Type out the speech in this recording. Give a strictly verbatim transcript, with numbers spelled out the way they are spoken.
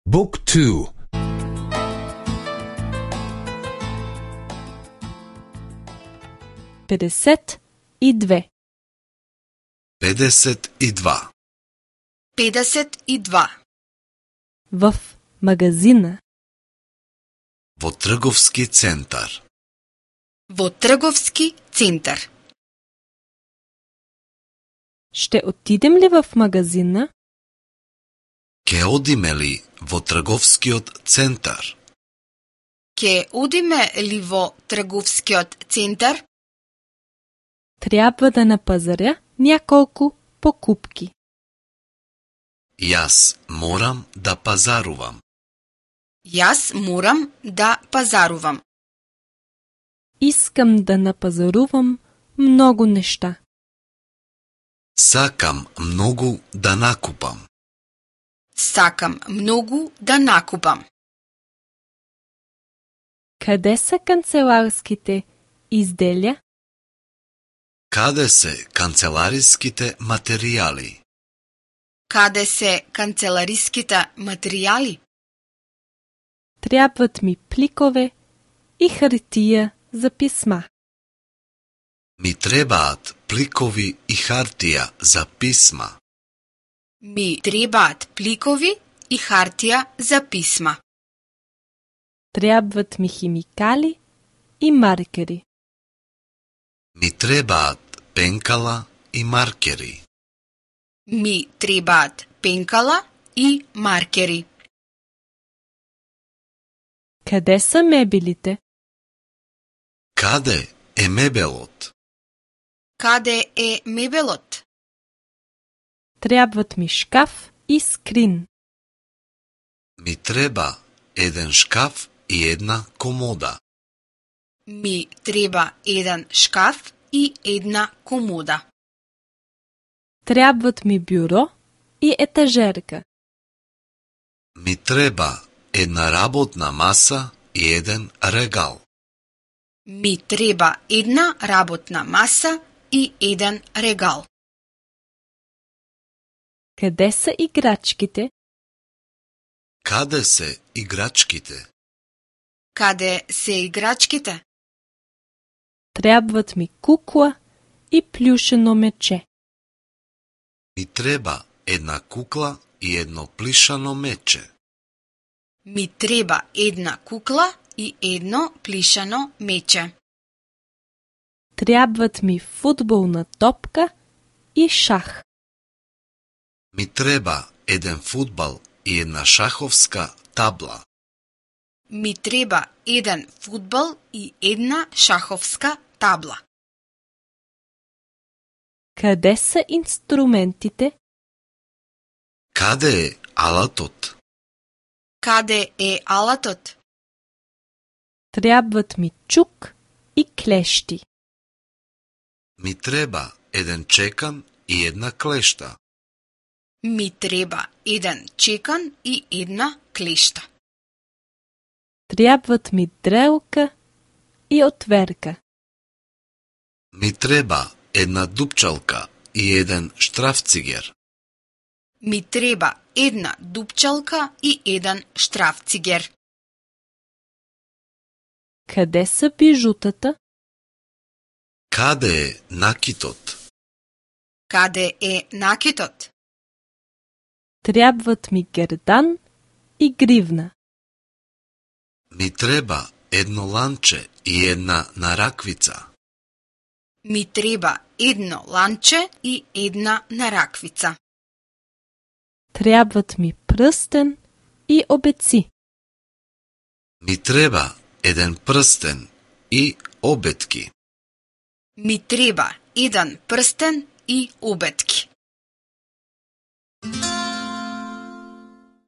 Book two. педесет и две. педесет и два. педесет и два. В магазина. Во трговски центар. Во трговски центар. Ще отидем ли в магазина? Ке одиме ли во трговскиот центар? Ке одиме ли во трговскиот центар? Трябва да напазаря няколку покупки. Јас морам да пазарувам. Јас морам да пазарувам. Искам да напазарувам много неща. Сакам многу да накупам. Сакам многу да накупам. Къде са канцеларските изделия? Каде се канцелариските материјали? Каде се канцелариските материјали? Трябват ми пликове и хартия за писма. Ми требаат пликови и хартија за писма. Ми требаат пликови и хартија за писма. Трябват ми химикали и маркери. Ми требаат пенкала и маркери. Ми требаат пенкала и маркери. Къде са мебелите? Каде е мебелот? Каде е мебелот? Трябват ми шкаф и скрин. Ми треба еден шкаф и една комода. Ми треба еден шкаф и една комода. Трябват ми бюро и етажерка. Ми треба една работна маса и еден регал. Ми треба една работна маса и еден регал. Къде са играчките? Каде се играчките? Каде се играчките? Трябват ми кукла и плюшено мече. Ми треба една кукла и едно плишано мече. Ми треба една кукла и едно плишано мече. Трябват ми футболна топка и шах. Ми треба еден фудбал и една шаховска табла. Ми треба еден фудбал и една шаховска табла. Къде са инструментите? Каде е алатот? Каде е алатот? Трябват ми чук и клещи. Ми треба еден чекан и една клешта. Ми треба еден чекан и една клешта. Трябват ми дрелка и отверка. Ми треба една дупчалка и еден штрафцигер. Ми треба една дупчалка и еден штрафцигер. Къде са бижутата? Каде е накитот? Каде е накитот? Трябват ми гердан и гривна. Ми треба едно ланче и една нараквица. Ми треба едно ланче и една нараквица. Трябват ми пръстен и обеци. Ми треба еден прстен и обетки. Ми треба еден прстен и обетки.